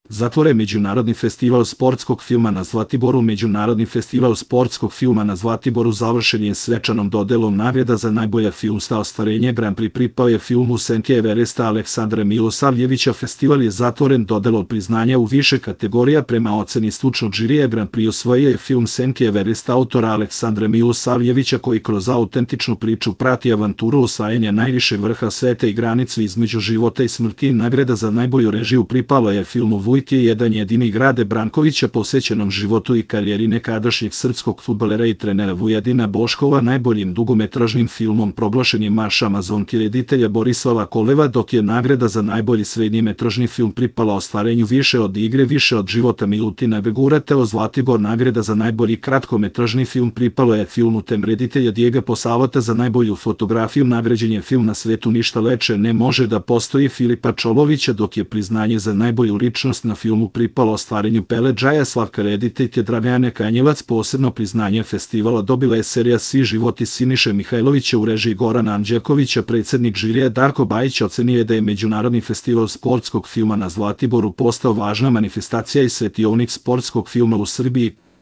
Zatvoren Međunarodni festival sportskog filma na Zlatiboru. Međunarodni festival sportskog filma na Zlatiboru završen je svečanom dodelom nagrada za najbolja filmska ostvarenja. Grand Prix pripao je filmu Senke Everesta Aleksandra Milosavljevića. Festival je zatvoren dodelom priznanja u više kategorija. Prema oceni stručnog žirija Grand Prix osvojio je film Senke Everesta autora Aleksandra Milosavljevića, koji kroz autentičnu priču prati avanturu osvajanja najvišeg vrha sveta i granicu između života i smrti. Nagrada za najbolju režiju pripala je filmu Vujt je jedan jedini Grade Brankovića, posvećenom životu i karijeri nekadašnjeg srpskog fudbalera i trenera Vujadina Boškova. Najboljim dugometražnim filmom proglašen je Marš Amazonke reditelja Borislava Koleva, dok je nagrada za najbolji srednjemetražni film pripala ostvarenju Više od igre, više od života Milutina Begura. Zlatibor. Nagrada za najbolji kratkometražni film pripalo je filmu Tem reditelja Dijega Posavota. Za najbolju fotografiju nagrađen je film Na svetu ništa leče ne može da postoji Filipa Čolovića, dok je priznanje za najbolju ličnost na filmu pripalo ostvarenju Pele Džaja Slavka rediteljke Dragane Kanjevac. Posebno priznanje festivala dobila je serija Svi životi Siniše Mihajlovića u režiji Gorana Anđelkovića. Predsjednik žirija Darko Bajić ocenio je da je Međunarodni festival sportskog filma na Zlatiboru postao važna manifestacija i svetionik sportskog filma u Srbiji.